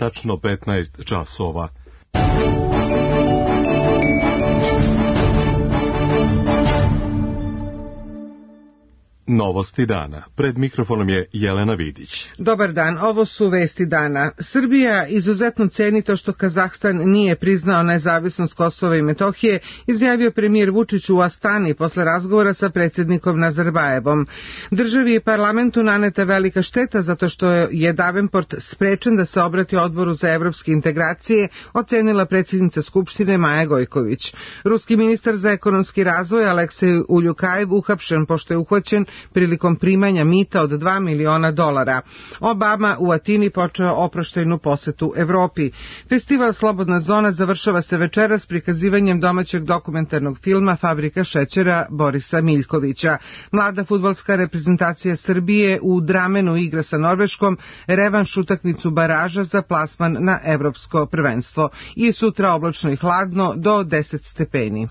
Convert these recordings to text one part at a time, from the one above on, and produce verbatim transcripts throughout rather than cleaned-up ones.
tačno petnaest časova. Novosti dana. Pred mikrofonom je Jelena Vidić. Dobar dan, ovo su vesti dana. Srbija izuzetno ceni to što Kazahstan nije priznao nezavisnost Kosova i Metohije, izjavio premijer Vučić u Astani posle razgovora sa predsjednikom Nazarbajevom. Državi i parlamentu naneta velika šteta zato što je Davenport sprečen da se obrati Odboru za evropske integracije, ocenila predsjednica Skupštine Maja Gojković. Ruski ministar za ekonomski razvoj Aleksej Uljukajev uhapšen pošto je uhvaćen prilikom primanja mita od dva miliona dolara. Obama u Atini počeo oproštajnu posetu Evropi. Festival Slobodna zona završava se večeras prikazivanjem domaćeg dokumentarnog filma Fabrika šećera Borisa Miljkovića. Mlada fudbalska reprezentacija Srbije u Dramenu igra sa Norveškom revanš utakmicu baraža za plasman na evropsko prvenstvo. I sutra oblačno i hladno do deset stepeni.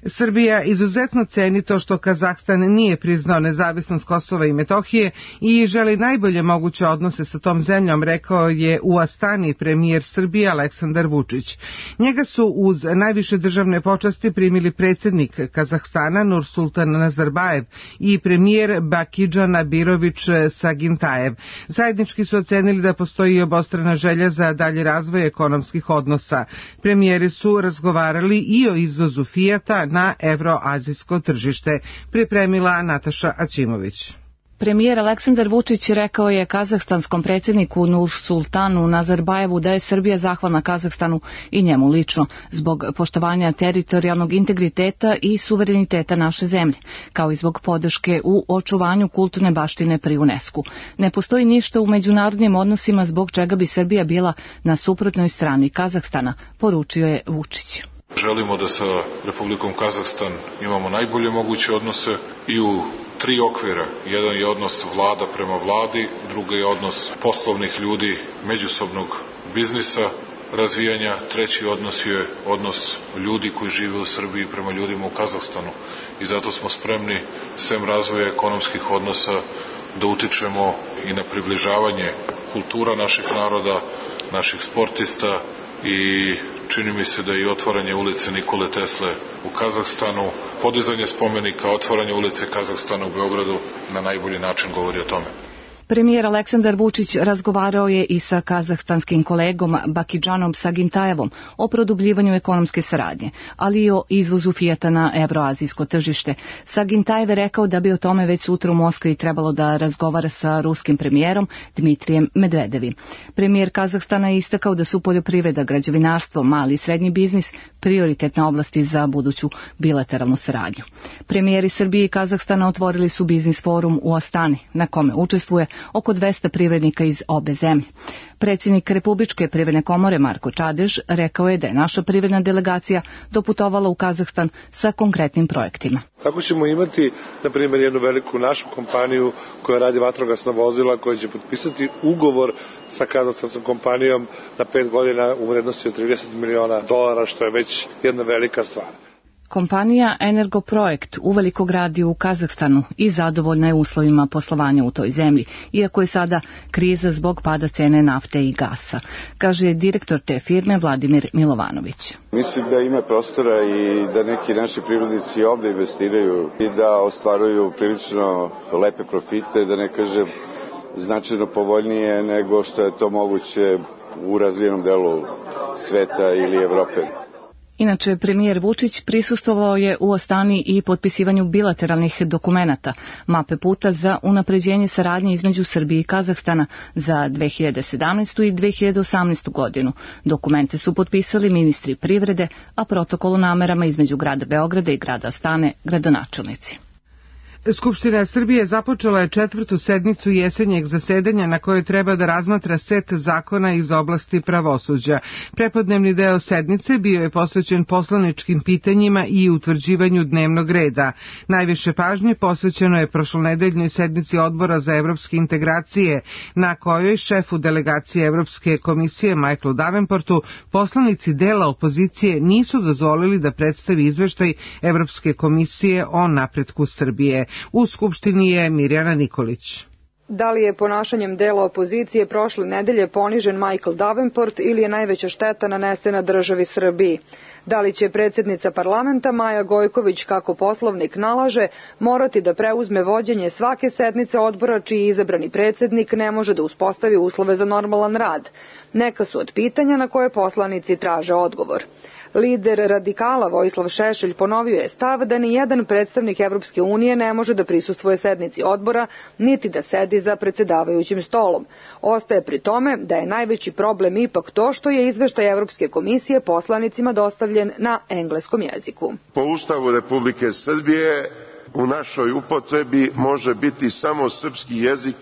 Srbija izuzetno ceni to što Kazahstan nije priznao nezavisnost Kosova i Metohije i želi najbolje moguće odnose sa tom zemljom, rekao je u Astani premijer Srbije Aleksandar Vučić. Njega su uz najviše državne počasti primili predsjednik Kazahstana Nursultan Nazarbajev i premijer Bakidžan Nabirović Sagintajev. Zajednički su ocenili da postoji obostrana želja za dalji razvoj ekonomskih odnosa. Premijeri su razgovarali i o izvozu Fijata na evroazijsko tržište, pripremila Nataša Aćimović. Premijer Aleksandar Vučić rekao je kazahstanskom predsjedniku Nursultanu Nazarbajevu da je Srbija zahvalna Kazahstanu i njemu lično zbog poštovanja teritorijalnog integriteta i suvereniteta naše zemlje, kao i zbog podrške u očuvanju kulturne baštine pri UNESCO. Ne postoji ništa u međunarodnim odnosima zbog čega bi Srbija bila na suprotnoj strani Kazahstana, poručio je Vučić. Želimo da sa Republikom Kazahstan imamo najbolje moguće odnose i u tri okvira. Jedan je odnos vlada prema vladi, drugi je odnos poslovnih ljudi, međusobnog biznisa, razvijanja, treći odnos je odnos ljudi koji žive u Srbiji prema ljudima u Kazahstanu. I zato smo spremni, sem razvoja ekonomskih odnosa, da utičemo i na približavanje kultura naših naroda, naših sportista i čini mi se da i otvaranje ulice Nikole Tesle u Kazahstanu, podizanje spomenika, otvaranje ulice Kazahstana u Beogradu na najbolji način govori o tome. Premijer Aleksandar Vučić razgovarao je i sa kazahstanskim kolegom Bakidžanom Sagintajevom o produbljivanju ekonomske saradnje, ali i o izvozu Fijata na evroazijsko tržište. Sagintajev je rekao da bi o tome već sutra u Moskvi trebalo da razgovara sa ruskim premijerom Dmitrijem Medvedevim. Premijer Kazahstana je istakao da su poljoprivreda, građevinarstvo, mali i srednji biznis prioritetne oblasti za buduću bilateralnu saradnju. Premijeri Srbije i Kazahstana otvorili su biznis forum u Astani, na kome učestvuje oko dvesta privrednika iz obe zemlje. Predsjednik Republičke privredne komore Marko Čadež rekao je da je naša privredna delegacija doputovala u Kazahstan sa konkretnim projektima. Tako ćemo imati, na primjer, jednu veliku našu kompaniju koja radi vatrogasna vozila, koja će potpisati ugovor sa kazahstanskom kompanijom na pet godina u vrednosti od trideset miliona dolara, što je već jedna velika stvar. Kompanija Energoprojekt uveliko gradi u Kazahstanu i zadovoljna je uslovima poslovanja u toj zemlji, iako je sada kriza zbog pada cene nafte i gasa, kaže direktor te firme Vladimir Milovanović. Mislim da ima prostora i da neki naši privrednici ovde investiraju i da ostvaruju prilično lepe profite, da ne kažem značajno povoljnije nego što je to moguće u razvijenom delu sveta ili Evrope. Inače, premijer Vučić prisustvovao je u Astani i potpisivanju bilateralnih dokumenata, mape puta za unapređenje saradnje između Srbije i Kazahstana za dve hiljade sedamnaestu. i dve hiljade osamnaestu. godinu. Dokumente su potpisali ministri privrede, a protokol o namerama između grada Beograda i grada Astane gradonačelnici. Skupština Srbije započela je četvrtu sednicu jesenjeg zasedanja na kojoj treba da razmatra set zakona iz oblasti pravosuđa. Prepodnevni deo sednice bio je posvećen poslaničkim pitanjima i utvrđivanju dnevnog reda. Najviše pažnje posvećeno je prošlonedeljnoj sednici Odbora za evropske integracije, na kojoj šefu delegacije Evropske komisije Michaelu Davenportu poslanici dela opozicije nisu dozvolili da predstavi izveštaj Evropske komisije o napretku Srbije. U Skupštini je Mirjana Nikolić. Da li je ponašanjem dela opozicije prošle nedelje ponižen Michael Davenport ili je najveća šteta nanesena državi Srbiji? Da li će predsjednica parlamenta Maja Gojković, kako Poslovnik nalaže, morati da preuzme vođenje svake sednice odbora čiji izabrani predsjednik ne može da uspostavi uslove za normalan rad? Neka su od pitanja na koje poslanici traže odgovor. Lider radikala Vojislav Šešelj ponovio je stav da ni jedan predstavnik Evropske unije ne može da prisustvuje sednici odbora, niti da sedi za predsjedavajućim stolom. Ostaje pri tome da je najveći problem ipak to što je izveštaj Evropske komisije poslanicima dostavljen na engleskom jeziku. Po Ustavu Republike Srbije u našoj upotrebi može biti samo srpski jezik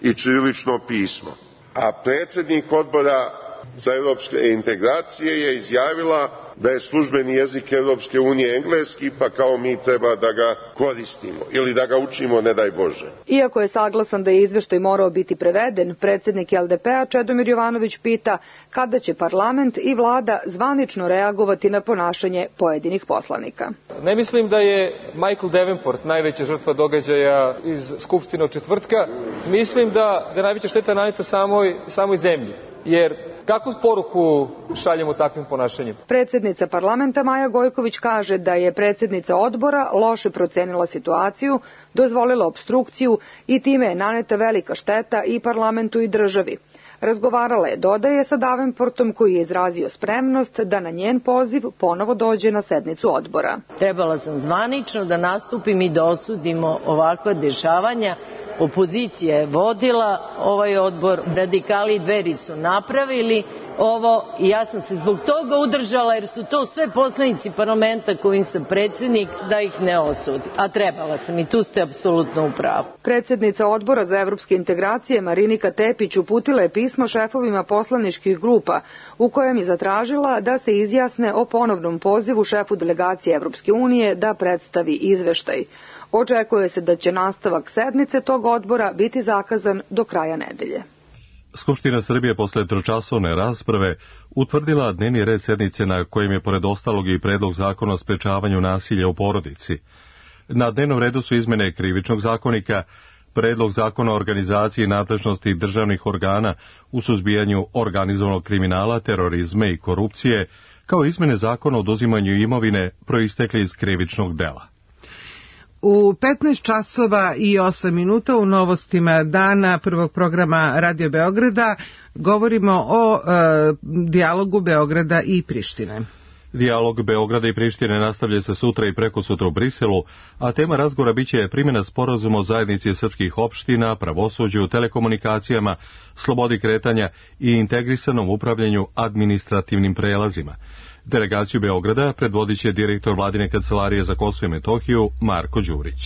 i ćirilično pismo, a predsjednik odbora za evropske integracije je izjavila da je službeni jezik Evropske unije engleski, pa kao mi treba da ga koristimo ili da ga učimo, ne daj Bože. Iako je saglasan da je izveštaj morao biti preveden, predsjednik L D P-a Čedomir Jovanović pita kada će parlament i vlada zvanično reagovati na ponašanje pojedinih poslanika. Ne mislim da je Michael Davenport najveća žrtva događaja iz Skupštine od četvrtka. Mislim da, da je najveća šteta naneta samoj, samoj zemlji, jer kakvu poruku šaljemo takvim ponašanjem? Predsjednica parlamenta Maja Gojković kaže da je predsjednica odbora loše procenila situaciju, dozvolila opstrukciju i time je naneta velika šteta i parlamentu i državi. Razgovarala je, dodaje, sa Davenportom koji je izrazio spremnost da na njen poziv ponovo dođe na sednicu odbora. Trebala sam zvanično da nastupim i da osudimo ovakva dešavanja. Opozicija je vodila ovaj odbor, radikali i Dveri su napravili ovo i ja sam se zbog toga udržala jer su to sve poslanici parlamenta kojim sam predsjednik da ih ne osudi. A trebala sam i tu ste apsolutno u pravu. Predsjednica odbora za evropske integracije Marinika Tepić uputila je pismo šefovima poslaničkih grupa u kojem je zatražila da se izjasne o ponovnom pozivu šefu delegacije Evropske unije da predstavi izveštaj. Očekuje se da će nastavak sednice tog odbora biti zakazan do kraja nedelje. Skupština Srbije posle tročasovne rasprave utvrdila dnevni red sednice na kojem je pored ostalog i predlog zakona o sprečavanju nasilja u porodici. Na dnevnom redu su izmene Krivičnog zakonika, predlog zakona o organizaciji nadležnosti državnih organa u suzbijanju organizovanog kriminala, terorizma i korupcije, kao izmene zakona o oduzimanju imovine proistekle iz krivičnog dela. U petnaest časova i osam minuta u novostima dana prvog programa Radio Beograda govorimo o e, dijalogu Beograda i Prištine. Dijalog Beograda i Prištine nastavlja se sutra i prekosutra u Briselu, a tema razgovora biće primjena sporazuma o zajednici srpskih opština, pravosuđu, telekomunikacijama, slobodi kretanja i integrisanom upravljanju administrativnim prelazima. Delegaciju Beograda predvodit će direktor Vladine kancelarije za Kosovo i Metohiju Marko Đurić.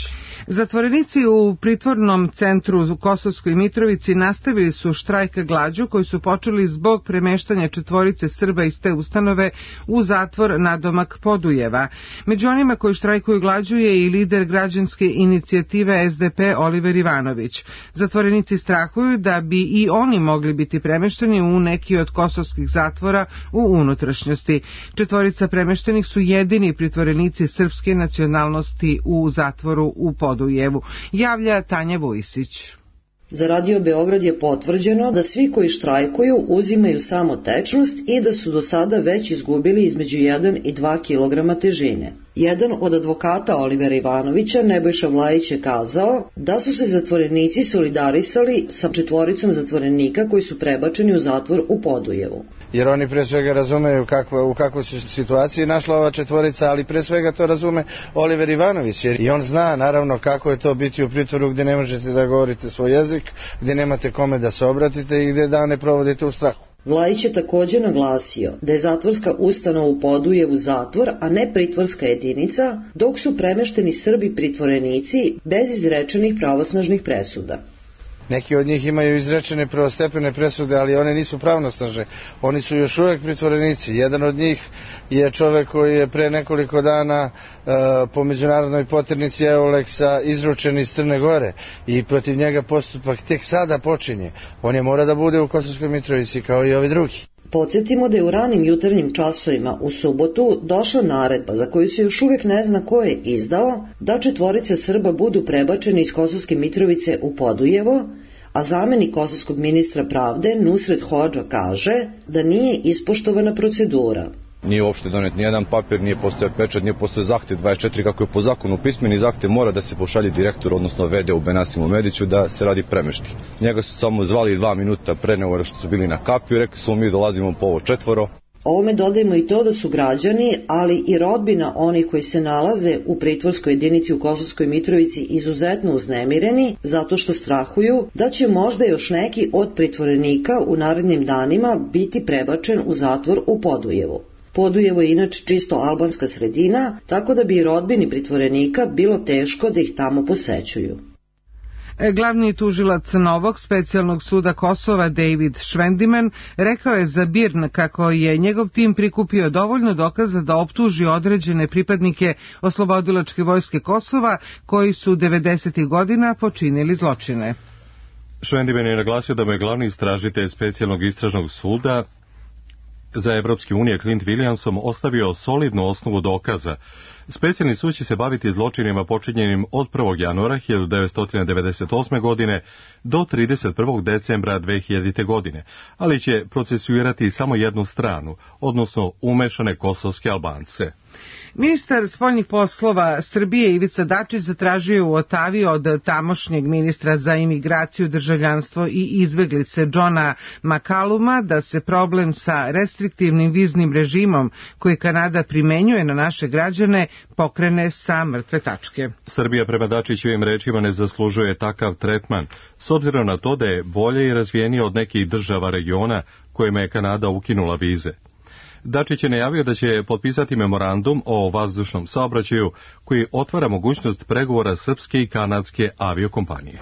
Zatvorenici u pritvornom centru u Kosovskoj Mitrovici nastavili su štrajk glađu koji su počeli zbog premeštanja četvorice Srba iz te ustanove u zatvor nadomak Podujeva. Među onima koji štrajkuju glađu je i lider građanske inicijative S D P Oliver Ivanović. Zatvorenici strahuju da bi i oni mogli biti premešteni u neki od kosovskih zatvora u unutrašnjosti. Četvorica premeštenih su jedini pritvorenici srpske nacionalnosti u zatvoru u Podujevu, javlja Tanja Vujsić. Za Radio Beograd je potvrđeno da svi koji štrajkuju uzimaju samo tečnost i da su do sada već izgubili između jedan i dva kilograma težine. Jedan od advokata Olivera Ivanovića, Nebojša Vlajić, je kazao da su se zatvorenici solidarisali sa četvoricom zatvorenika koji su prebačeni u zatvor u Podujevu. Jer oni pre svega razumeju kakva, u kakvoj se situaciji našla ova četvorica, ali pre svega to razume Oliver Ivanović, jer i on zna naravno kako je to biti u pritvoru gdje ne možete da govorite svoj jezik, gdje nemate kome da se obratite i gdje dane provodite u strahu. Vlajić je također naglasio da je zatvorska ustanova u Podujevu zatvor, a ne pritvorska jedinica, dok su premešteni Srbi pritvorenici bez izrečenih pravosnažnih presuda. Neki od njih imaju izrečene prvostepene presude, ali one nisu pravnosnažne. Oni su još uvijek pritvorenici. Jedan od njih je čovjek koji je pre nekoliko dana e, po međunarodnoj poternici Euleksa izručen iz Crne Gore i protiv njega postupak tek sada počinje. On je mora da bude u Kosovskoj Mitrovici kao i ovi drugi. Podsjetimo da je u ranim jutarnjim časovima u subotu došla naredba za koju se još uvijek ne zna ko je izdao da četvorica Srba budu prebačeni iz Kosovske Mitrovice u Podujevo, A zamenik kosovskog ministra pravde Nusret Hodža kaže da nije ispoštovana procedura. Nije uopšte donet nijedan papir, nije postoje pečat, nije postoje zahtev dvadeset četiri kako je po zakonu pismeni zahtev mora da se pošalje direktor, odnosno vede u Benasimu Mediću da se radi premešti. Njega su samo zvali dva minuta pre nego što su bili na kapiju, rekli su mi dolazimo po ovo četvoro. Ovome dodajemo i to da su građani, ali i rodbina onih koji se nalaze u pritvorskoj jedinici u Kosovskoj Mitrovici izuzetno uznemireni zato što strahuju da će možda još neki od pritvorenika u narednim danima biti prebačen u zatvor u Podujevu. Podujevo je inače čisto albanska sredina, tako da bi i rodbini pritvorenika bilo teško da ih tamo posećuju. Glavni tužilac novog specijalnog suda Kosova David Švendiman rekao je za B I R N kako je njegov tim prikupio dovoljno dokaza da optuži određene pripadnike oslobodilačke vojske Kosova koji su devedesetih godina počinili zločine. Švendiman je naglasio da mu je glavni istražitelj specijalnog istražnog suda za Evropske unije Clint Williamsom ostavio solidnu osnovu dokaza. Specijalni sud će se baviti zločinima počinjenim od prvog januara hiljadu devetsto devedeset osme. godine do trideset prvog decembra dve hiljadite. godine, ali će procesuirati samo jednu stranu, odnosno umešane kosovske Albance. Ministar spoljnih poslova Srbije Ivica Dačić zatražio u Otavi od tamošnjeg ministra za imigraciju, državljanstvo i izbeglice Johna McCalluma da se problem sa restriktivnim viznim režimom koji Kanada primenjuje na naše građane pokrene sa mrtve tačke. Srbija prema Dačićevim rečima ne zaslužuje takav tretman, s obzirom na to da je bolje i razvijenije od nekih država regiona kojima je Kanada ukinula vize. Dačić je najavio da će potpisati memorandum o vazdušnom saobraćaju koji otvara mogućnost pregovora srpske i kanadske aviokompanije.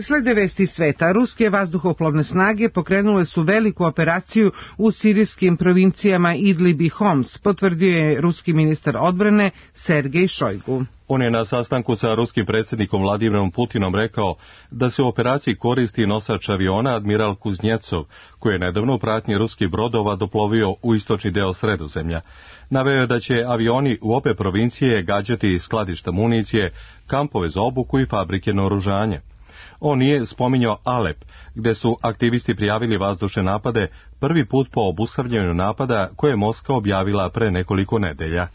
Slede vesti sveta, ruske vazduhoplovne snage pokrenule su veliku operaciju u sirijskim provincijama Idlib i Homs, potvrdio je ruski ministar odbrane Sergej Šojgu. On je na sastanku sa ruskim predsjednikom Vladimirom Putinom rekao da se u operaciji koristi nosač aviona Admiral Kuznjecov, koji je nedavno u pratnji ruskih brodova doplovio u istočni deo Sredozemlja. Naveo je da će avioni u obe provincije gađati skladišta municije, kampove za obuku i fabrike naoružanja. On nije spominjao Alep, gde su aktivisti prijavili vazdušne napade prvi put po obustavljanju napada koje je Moskva objavila pre nekoliko nedelja.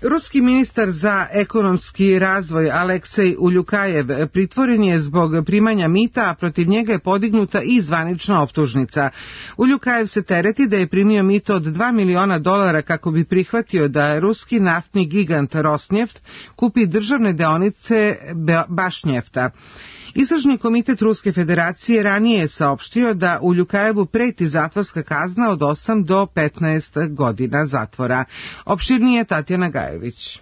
Ruski ministar za ekonomski razvoj Aleksej Uljukajev pritvoren je zbog primanja mita, a protiv njega je podignuta i zvanična optužnica. Uljukajev se tereti da je primio mito od dva miliona dolara kako bi prihvatio da ruski naftni gigant Rosneft kupi državne deonice Bašnjefta. Istražni komitet Ruske federacije ranije je saopštio da Uljukajevu preti zatvorska kazna od osam do petnaest godina zatvora. Opširnije Tatjana Gajević.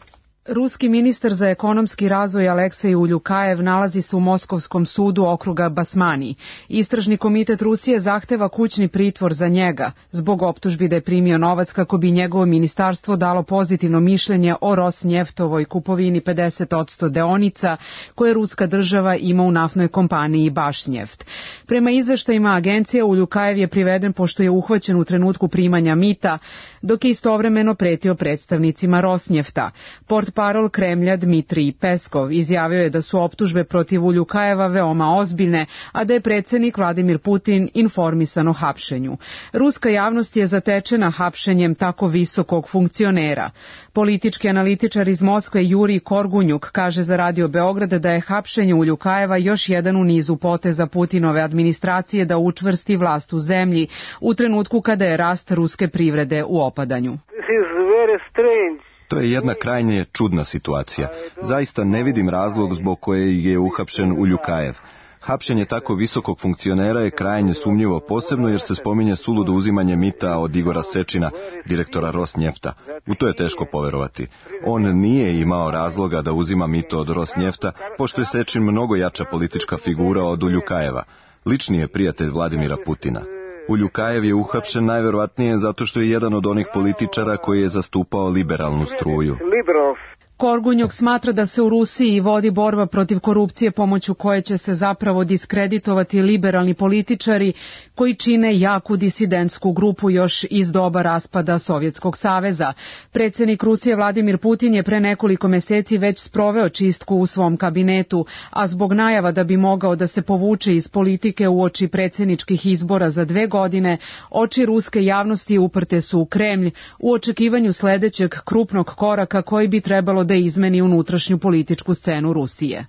Ruski ministar za ekonomski razvoj Aleksej Uljukajev nalazi se u Moskovskom sudu okruga Basmani. Istražni komitet Rusije zahteva kućni pritvor za njega zbog optužbi da je primio novac kako bi njegovo ministarstvo dalo pozitivno mišljenje o Rosnjeftovoj kupovini pedeset posto deonica koje ruska država ima u naftnoj kompaniji Bašnjeft. Prema izveštajima agencija, Uljukajev je priveden pošto je uhvaćen u trenutku primanja mita, dok je istovremeno pretio predstavnicima Rosnjefta. Portparol Kremlja Dmitrij Peskov izjavio je da su optužbe protiv Uljukajeva veoma ozbiljne, a da je predsjednik Vladimir Putin informisan o hapšenju. Ruska javnost je zatečena hapšenjem tako visokog funkcionera. Politički analitičar iz Moskve Jurij Korgunjuk kaže za Radio Beograd da je hapšenje Uljukajeva još jedan u nizu poteza Putinove administracije da učvrsti vlast u zemlji u trenutku kada je rast ruske privrede u opadanju. To je jedna krajnje čudna situacija. Zaista ne vidim razlog zbog koje je uhapšen Uljukajev. Hapšenje tako visokog funkcionera je krajnje sumnjivo, posebno jer se spominje suludo uzimanje mita od Igora Sečina, direktora Rosnjefta. U to je teško poverovati. On nije imao razloga da uzima mito od Rosnjefta, pošto je Sečin mnogo jača politička figura od Uljukajeva. Lični je prijatelj Vladimira Putina. Uljukajev je uhapšen najverovatnije zato što je jedan od onih političara koji je zastupao liberalnu struju. Korgunjok smatra da se u Rusiji vodi borba protiv korupcije pomoću koje će se zapravo diskreditovati liberalni političari koji čine jaku disidentsku grupu još iz doba raspada Sovjetskog saveza. Predsjednik Rusije Vladimir Putin je pre nekoliko meseci već sproveo čistku u svom kabinetu, a zbog najava da bi mogao da se povuče iz politike uoči predsjedničkih izbora za dve godine, oči ruske javnosti uprte su u Kremlj u očekivanju sledećeg krupnog koraka koji bi trebalo da izmeni unutrašnju političku scenu Rusije.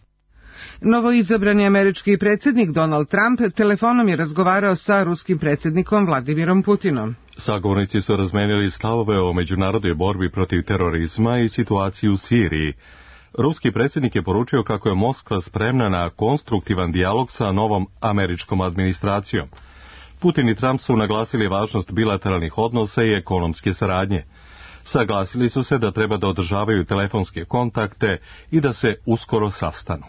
Novoizabrani američki predsjednik Donald Trump telefonom je razgovarao sa ruskim predsjednikom Vladimirom Putinom. Sagovornici su razmenili stavove o međunarodnoj borbi protiv terorizma i situaciji u Siriji. Ruski predsjednik je poručio kako je Moskva spremna na konstruktivan dijalog sa novom američkom administracijom. Putin i Trump su naglasili važnost bilateralnih odnosa i ekonomske saradnje. Saglasili su se da treba da održavaju telefonske kontakte i da se uskoro sastanu.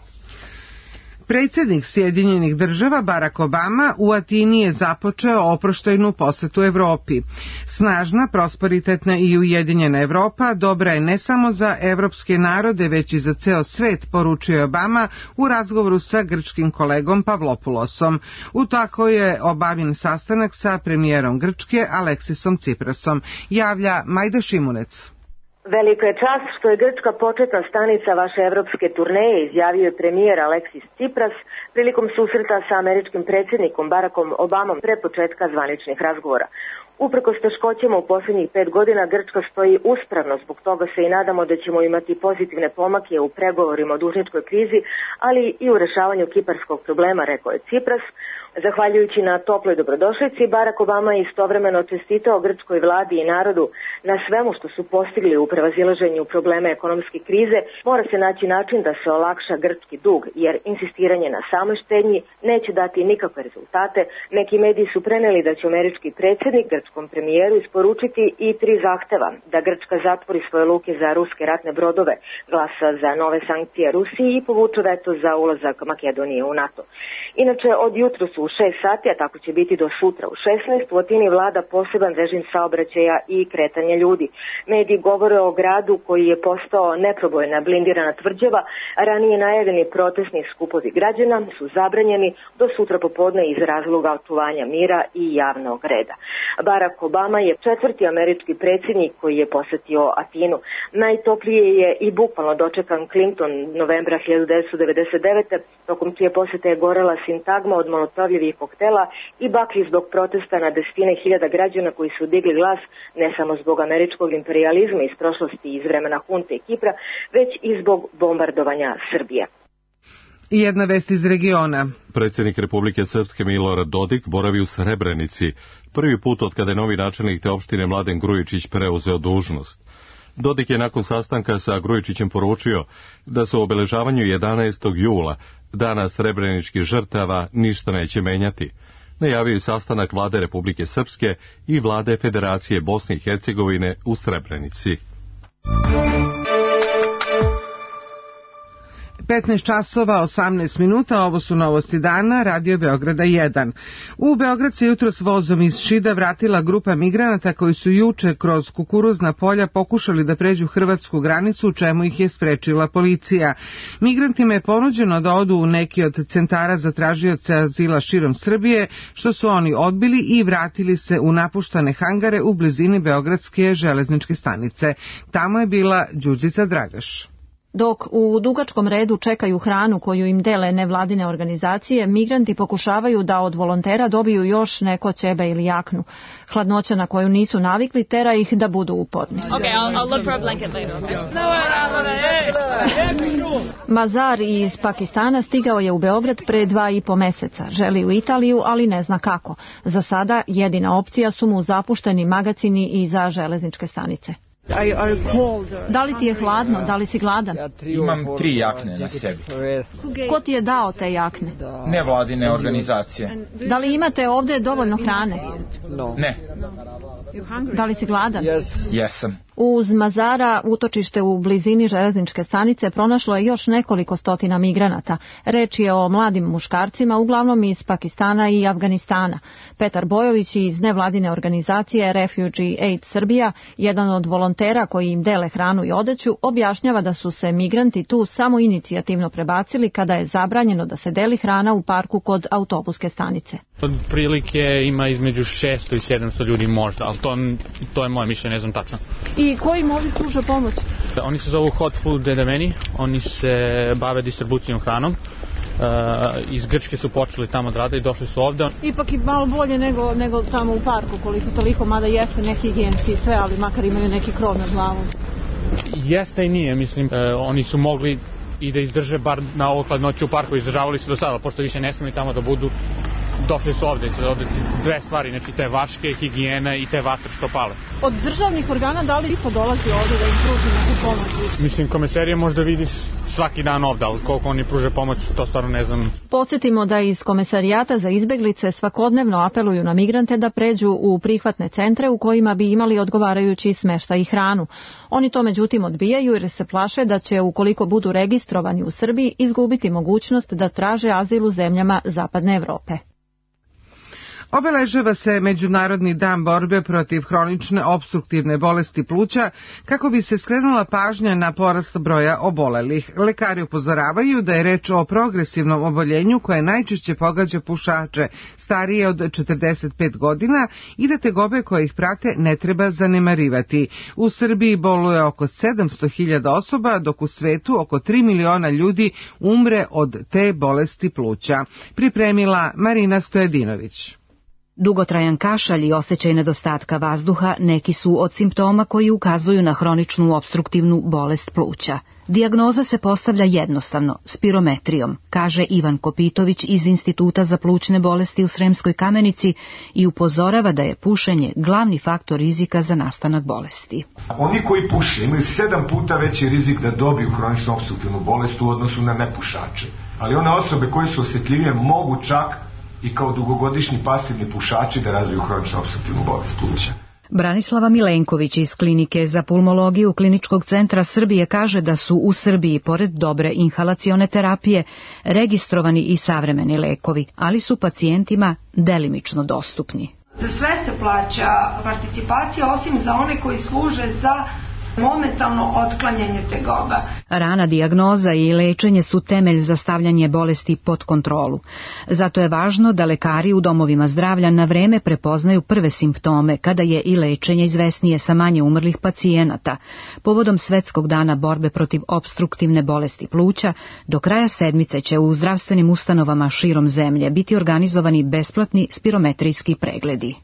Predsjednik Sjedinjenih država Barack Obama u Atini je započeo oproštajnu posetu Evropi. Snažna, prosperitetna i ujedinjena Evropa dobra je ne samo za evropske narode, već i za ceo svet, poručio je Obama u razgovoru sa grčkim kolegom Pavlopulosom. U tako je obavljen sastanak sa premijerom Grčke Aleksisom Tsiprasom. Javlja Majda Šimunec. Velika je čast što je Grčka početna stanica vaše evropske turneje, izjavio je premijer Aleksis Tsipras prilikom susreta sa američkim predsjednikom Barackom Obamom pre početka zvaničnih razgovora. Uprkos teškoćama u posljednjih pet godina Grčka stoji uspravno, zbog toga se i nadamo da ćemo imati pozitivne pomake u pregovorima o dužničkoj krizi, ali i u rešavanju kiparskog problema, rekao je Tsipras. Zahvaljujući na toploj dobrodošlici, Barack Obama je istovremeno čestitao grčkoj vladi i narodu na svemu što su postigli u prevazilaženju problema ekonomske krize. Mora se naći način da se olakša grčki dug, jer insistiranje na samoj štednji neće dati nikakve rezultate. Neki mediji su preneli da će američki predsjednik grčkom premijeru isporučiti i tri zahteva: da Grčka zatvori svoje luke za ruske ratne brodove, glasa za nove sankcije Rusiji i povuče veto za ulazak Makedonije u NATO. Inače, od jutros u šest sati, a tako će biti do sutra u šesnaest, u Atini vlada poseban režim saobraćaja i kretanja ljudi. Mediji govore o gradu koji je postao neprobojna blindirana tvrđava, a ranije najavljeni protestni skupovi građana su zabranjeni do sutra popodne iz razloga očuvanja mira i javnog reda. Barack Obama je četvrti američki predsjednik koji je posetio Atinu. Najtoplije je i bukvalno dočekan Clinton novembra hiljadu devetsto devedeset devete. tokom čije posete je gorela sintagma od molotovljevih koktela i bakli zbog protesta na desetine hiljada građana koji su digli glas ne samo zbog američkog imperializma iz prošlosti iz vremena hunte i Kipra, već i zbog bombardovanja Srbije. I jedna vest iz regiona. Predsjednik Republike Srpske Milorad Dodik boravi u Srebrenici, prvi put od kada je novi načelnik te opštine Mladen Grujičić preuzeo dužnost. Dodik je nakon sastanka sa Grujičićem poručio da se u obeležavanju jedanaestog jula, dana srebreničkih žrtava, ništa neće menjati. Najavio je sastanak vlade Republike Srpske i vlade Federacije Bosne i Hercegovine u Srebrenici. petnaest časova osamnaest minuta, ovo su novosti dana, Radio Beograda jedan. U Beograd se jutros vozom iz Šida vratila grupa migranata koji su juče kroz kukuruzna polja pokušali da pređu hrvatsku granicu, u čemu ih je sprečila policija. Migrantima je ponuđeno da odu u neki od centara za tražioce azila širom Srbije, što su oni odbili i vratili se u napuštane hangare u blizini Beogradske železničke stanice. Tamo je bila Đurđica Dragaš. Dok u dugačkom redu čekaju hranu koju im dele nevladine organizacije, migranti pokušavaju da od volontera dobiju još neko ćebe ili jaknu. Hladnoća na koju nisu navikli tera ih da budu uporni. Okay, I'll, I'll look for a blanket later. Mazar iz Pakistana stigao je u Beograd pre dva i po meseca. Želi u Italiju, ali ne zna kako. Za sada jedina opcija su mu zapušteni magacini iza železničke stanice. Da li ti je hladno? Da li si gladan? Imam tri jakne na sebi. Ko ti je dao te jakne? Nevladine organizacije. Da li imate ovdje dovoljno hrane? Ne. Da li si gladan? Yes. Jesam. Uz Mazara, utočište u blizini železničke stanice, pronašlo je još nekoliko stotina migranata. Reč je o mladim muškarcima, uglavnom iz Pakistana i Afganistana. Petar Bojović iz nevladine organizacije Refugee Aid Srbija, jedan od volontera koji im dele hranu i odeću, objašnjava da su se migranti tu samo inicijativno prebacili kada je zabranjeno da se deli hrana u parku kod autobuske stanice. Od prilike ima između šesto i sedamsto ljudi možda, ali to, to je moje mišljenje, ne znam tačno. I koji im ovdje pruža pomoć? Oni se zovu Hot Food Dedemeni, oni se bave distribucijom hranom. Uh, iz Grčke su počeli tamo da rade i došli su ovde. Ipak i malo bolje nego, nego tamo u parku, koliko toliko, mada jeste neki higijenski i sve, ali makar imaju neki krov nad glavom. Jeste i nije, mislim, uh, oni su mogli i da izdrže bar na ovo hladnoću u parku, izdržavali su do sada, pošto više ne smiju tamo da budu, došli su ovde i sad ovde dve stvari, znači te vaške, higijena i te vatre što pale. Od državnih organa da li isto dolazi ovde da im pruži neku pomoć? Mislim, komisarije možda vidiš svaki dan ovde, ali koliko oni pruže pomoć, to stvarno ne znam. Podsjetimo da iz Komesarijata za izbeglice svakodnevno apeluju na migrante da pređu u prihvatne centre u kojima bi imali odgovarajući smeštaj i hranu. Oni to međutim odbijaju jer se plaše da će, ukoliko budu registrovani u Srbiji, izgubiti mogućnost da traže azil u zemljama Zapadne Evrope. Obeležava se Međunarodni dan borbe protiv hronične opstruktivne bolesti pluća kako bi se skrenula pažnja na porast broja obolelih. Lekari upozoravaju da je reč o progresivnom oboljenju koje najčešće pogađa pušače starije od četrdeset pet godina i da tegobe koje ih prate ne treba zanemarivati. U Srbiji boluje oko sedamsto hiljada osoba, dok u svetu oko tri miliona ljudi umre od te bolesti pluća. Pripremila Marina Stojedinović. Dugotrajan kašalj i osjećaj nedostatka vazduha neki su od simptoma koji ukazuju na hroničnu opstruktivnu bolest pluća. Dijagnoza se postavlja jednostavno, spirometrijom, kaže Ivan Kopitović iz Instituta za plućne bolesti u Sremskoj Kamenici i upozorava da je pušenje glavni faktor rizika za nastanak bolesti. Oni koji puše imaju sedam puta veći rizik da dobiju hroničnu opstruktivnu bolest u odnosu na nepušače. Ali one osobe koje su osjetljivije mogu čak i kao dugogodišnji pasivni pušači da razviju hroničnu opstruktivnu bolest pluća. Branislava Milenković iz Klinike za pulmologiju Kliničkog centra Srbije kaže da su u Srbiji, pored dobre inhalacione terapije, registrovani i savremeni lekovi, ali su pacijentima delimično dostupni. Za sve se plaća participacija, osim za one koji služe za momentalno otklanjanje tegoba. Rana dijagnoza i lečenje su temelj za stavljanje bolesti pod kontrolu. Zato je važno da lekari u domovima zdravlja na vreme prepoznaju prve simptome, kada je i lečenje izvesnije sa manje umrlih pacijenata. Povodom Svetskog dana borbe protiv opstruktivne bolesti pluća, do kraja sedmice će u zdravstvenim ustanovama širom zemlje biti organizovani besplatni spirometrijski pregledi.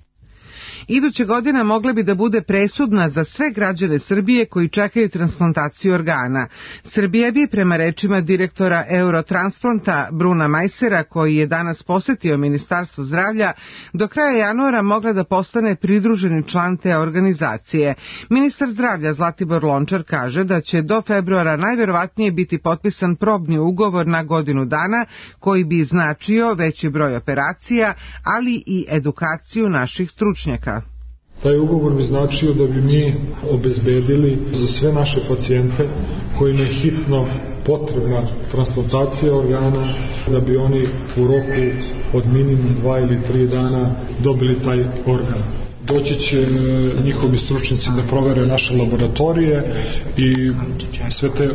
Iduće godina mogla bi da bude presudna za sve građane Srbije koji čekaju transplantaciju organa. Srbija bi, prema rečima direktora Eurotransplanta Bruna Majsera, koji je danas posetio Ministarstvo zdravlja, do kraja januara mogla da postane pridruženi član te organizacije. Ministar zdravlja Zlatibor Lončar kaže da će do februara najverovatnije biti potpisan probni ugovor na godinu dana, koji bi značio veći broj operacija, ali i edukaciju naših stručnjaka. Taj ugovor bi značio da bi mi obezbedili za sve naše pacijente kojima je hitno potrebna transplantacija organa, da bi oni u roku od minimum dva ili tri dana dobili taj organ. Doći će njihovi stručnjaci da provere naše laboratorije i sve te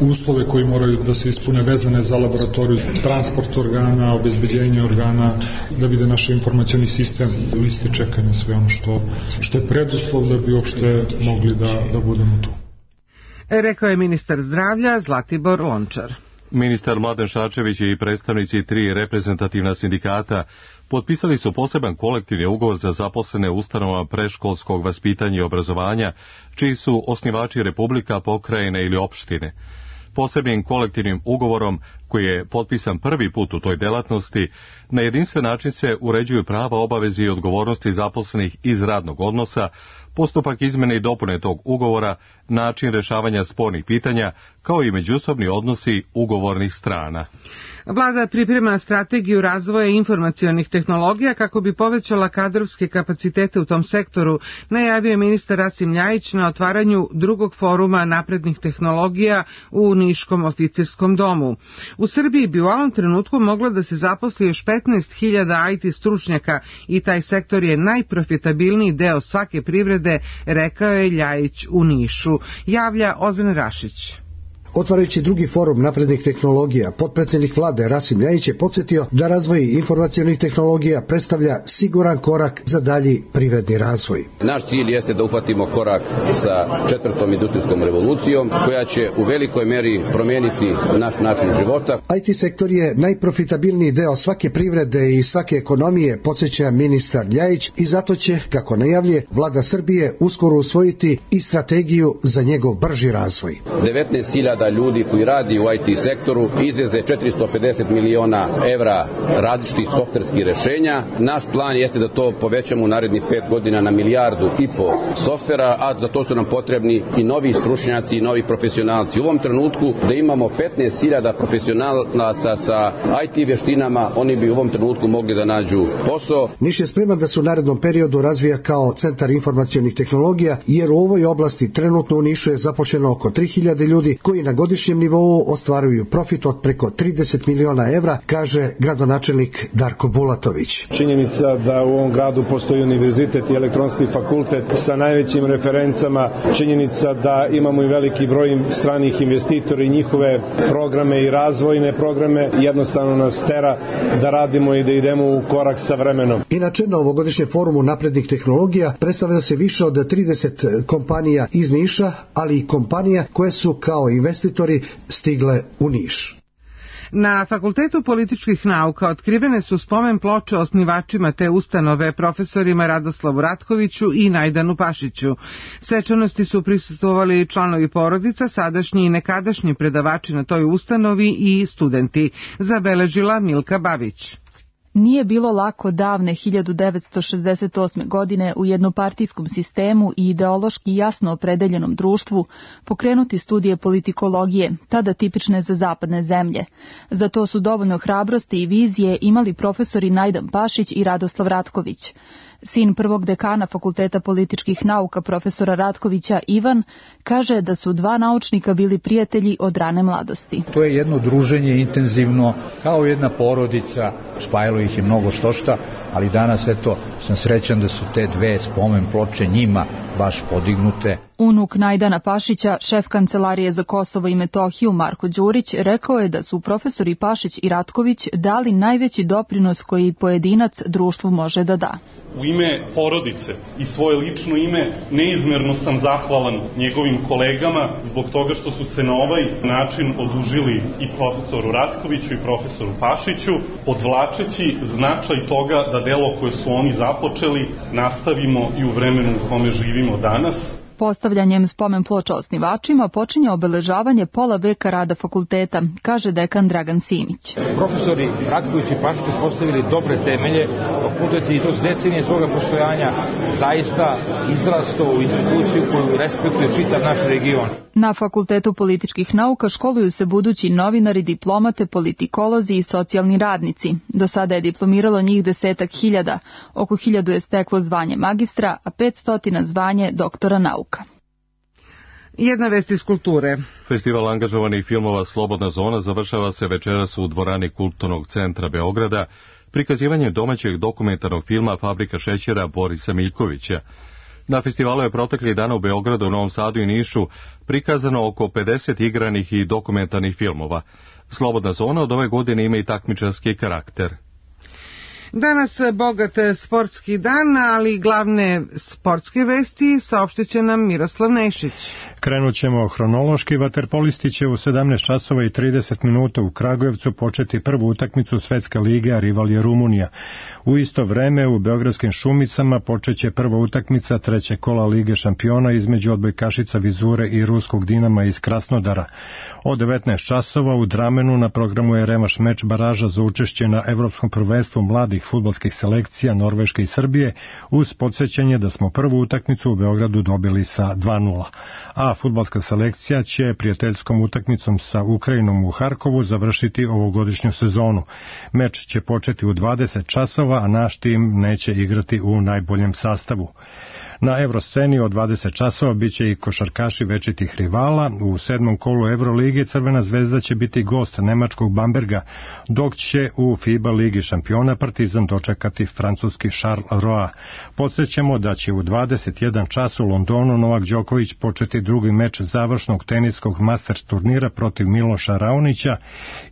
uslove koji moraju da se ispune vezane za laboratoriju, transport organa, obezbeđenje organa, da vide naš informacioni sistem, liste čekanja, sve ono što, što je preduslov da bi uopšte mogli da, da budemo tu. Rekao je ministar zdravlja Zlatibor Lončar. Ministar Mladen Šarčević i predstavnici tri reprezentativna sindikata potpisali su poseban kolektivni ugovor za zaposlene ustanovama predškolskog vaspitanja i obrazovanja, čiji su osnivači Republika, pokrajine ili opštine. Posebnim kolektivnim ugovorom, koji je potpisan prvi put u toj delatnosti, na jedinstven način se uređuju prava, obaveze i odgovornosti zaposlenih iz radnog odnosa, postupak izmene i dopune tog ugovora, način rešavanja spornih pitanja, kao i međusobni odnosi ugovornih strana. Vlada priprema strategiju razvoja informacionih tehnologija kako bi povećala kadrovske kapacitete u tom sektoru, najavio je ministar Rasim Ljajić na otvaranju drugog foruma naprednih tehnologija u Niškom oficirskom domu. U Srbiji bi u ovom trenutku moglo da se zaposli još petnaest hiljada I T stručnjaka i taj sektor je najprofitabilniji deo svake privrede, rekao je Ljajić u Nišu. Javlja Ozren Rašić. Otvarajući drugi forum naprednih tehnologija, potpredsjednik vlade Rasim Ljajić je podsjetio da razvoj informacionih tehnologija predstavlja siguran korak za dalji privredni razvoj. Naš cilj jeste da uhvatimo korak sa četvrtom industrijskom revolucijom, koja će u velikoj meri promijeniti naš način života. I T sektor je najprofitabilniji deo svake privrede i svake ekonomije, podsjeća ministar Ljajić, i zato će, kako najavljuje, vlada Srbije uskoro usvojiti i strategiju za njegov brži razvoj. devetnaest hiljada ljudi koji radi u I T sektoru izveze četiristo pedeset miliona evra različitih softverskih rešenja. Naš plan jeste da to povećamo u narednih pet godina na milijardu i po softvera, a za to su nam potrebni i novi stručnjaci i novi profesionalci. U ovom trenutku da imamo petnaest hiljada profesionalaca sa I T vještinama, oni bi u ovom trenutku mogli da nađu posao. Niš je spreman da se u narednom periodu razvija kao centar informacionih tehnologija, jer u ovoj oblasti trenutno u Nišu je zaposleno oko tri hiljade ljudi koji na godišnjem nivou ostvaruju profit od preko trideset miliona evra, kaže gradonačelnik Darko Bulatović. Činjenica da u ovom gradu postoji univerzitet i elektronski fakultet sa najvećim referencama, činjenica da imamo i veliki broj stranih investitora i njihove programe i razvojne programe, jednostavno nas tera da radimo i da idemo u korak sa vremenom. Inače, na ovogodišnjem forumu naprednih tehnologija predstavlja se više od trideset kompanija iz Niša, ali i kompanija koje su kao investitori stigle u Niš. Na Fakultetu političkih nauka otkrivene su spomen ploče osnivačima te ustanove, profesorima Radoslavu Ratkoviću i Najdanu Pašiću. Svečanosti su prisustvovali članovi porodica, sadašnji i nekadašnji predavači na toj ustanovi i studenti, zabeležila Milka Babić. Nije bilo lako davne hiljadu devetsto šezdeset osme. godine u jednopartijskom sistemu i ideološki jasno opredeljenom društvu pokrenuti studije politikologije, tada tipične za zapadne zemlje. Za to su dovoljno hrabrosti i vizije imali profesori Najdan Pašić i Radoslav Ratković. Sin prvog dekana Fakulteta političkih nauka profesora Ratkovića, Ivan, kaže da su dva naučnika bili prijatelji od rane mladosti. To je jedno druženje intenzivno, kao jedna porodica, spajalo ih je mnogo štošta, ali danas eto sam srećan da su te dve spomen ploče njima baš podignute. Unuk Najdana Pašića, šef Kancelarije za Kosovo i Metohiju Marko Đurić, rekao je da su profesori Pašić i Ratković dali najveći doprinos koji pojedinac društvu može da da. U ime porodice i svoje lično ime neizmerno sam zahvalan njegovim kolegama zbog toga što su se na ovaj način odužili i profesoru Ratkoviću i profesoru Pašiću, podvlačeći značaj toga da delo koje su oni započeli nastavimo i u vremenu u kome živimo danas. Postavljanjem spomen ploča osnivačima počinje obeležavanje pola veka rada fakulteta, kaže dekan Dragan Simić. Profesori Ratković i Pašić su postavili dobre temelje, fakultet i kroz decenije svoga postojanja zaista izrastao u instituciju koju respektuje čitav naš region. Na Fakultetu političkih nauka školuju se budući novinari, diplomate, politikolozi i socijalni radnici. Do sada je diplomiralo njih desetak hiljada, oko hiljadu je steklo zvanje magistra, a petstotina zvanje doktora nauka. Jedna vest iz kulture. Festival angažovanih filmova Slobodna zona završava se večeras u dvorani Kulturnog centra Beograda prikazivanjem domaćeg dokumentarnog filma Fabrika šećera Borisa Miljkovića. Na festivalu je proteklih dana u Beogradu, Novom Sadu i Nišu prikazano oko pedeset igranih i dokumentarnih filmova. Slobodna zona od ove godine ima i takmičarski karakter. Danas bogat sportski dan, ali glavne sportske vesti saopštit će nam Miroslav Nešić. Krenut ćemo hronološki. Vaterpolisti će u sedamnaest časova i trideset minuta u Kragujevcu početi prvu utakmicu Svetske lige, a rival je Rumunija. U isto vreme u Beogradskim Šumicama počeće prva utakmica trećeg kola Lige šampiona između odbojkašica Vizure i ruskog Dinama iz Krasnodara. Od devetnaest časova u Dramenu na programu je revanš meč baraža za učešće na Evropskom prvenstvu mladih ženskih fudbalskih selekcija Norveške i Srbije, uz podsjećanje da smo prvu utakmicu u Beogradu dobili sa dva nula. A fudbalska selekcija će prijateljskom utakmicom sa Ukrajinom u Harkovu završiti ovogodišnju sezonu. Meč će početi u dvadeset časova, a naš tim neće igrati u najboljem sastavu. Na Evrosceni od dvadeset časova biće i košarkaši večitih rivala. U sedmom kolu Evrolige Crvena zvezda će biti gost nemačkog Bamberga, dok će u FIBA Ligi šampiona Partizan dočekati francuski Charleroi. Podsjećamo da će u dvadeset jedan čas u Londonu Novak Đoković početi drugi meč završnog teniskog Masters turnira protiv Miloša Raonića.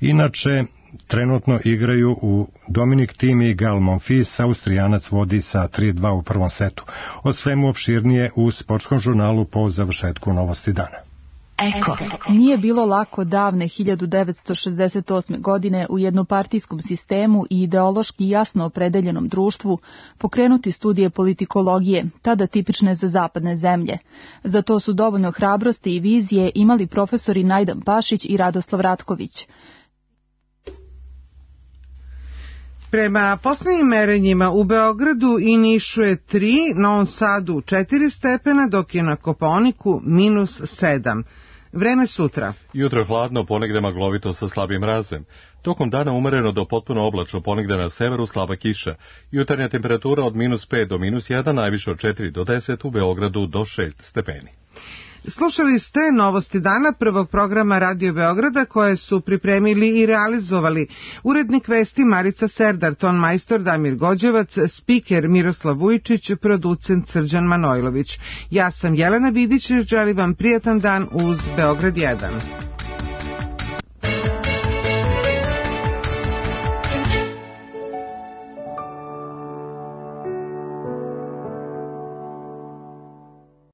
Inače, trenutno igraju u Dominik Thiem i Gael Monfils, Austrijanac vodi sa tri dva u prvom setu. O svemu opširnije u sportskom žurnalu po završetku Novosti dana. Eko. Nije bilo lako davne hiljadu devetsto šezdeset osme. godine u jednopartijskom sistemu i ideološki jasno opredeljenom društvu pokrenuti studije politikologije, tada tipične za zapadne zemlje. Za to su dovoljno hrabrosti i vizije imali profesori Najdan Pašić i Radoslav Ratković. Prema poslednjim merenjima u Beogradu i Nišu je tri, na Novom Sadu četiri stepena, dok je na Kopaoniku minus sedam. Vreme sutra. Jutro hladno, ponegde maglovito sa slabim mrazem. Tokom dana umereno do potpuno oblačno, ponegde na severu slaba kiša. Jutarnja temperatura od minus pet do minus jedan, najviše od četiri do deset, u Beogradu do šest stepeni. Slušali ste Novosti dana prvog programa Radio Beograda koje su pripremili i realizovali urednik vesti Marica Serdar, ton majstor Damir Gođevac, spiker Miroslav Vujčić, producent Srđan Manojlović. Ja sam Jelena Vidić, želim vam prijatan dan uz Beograd jedan.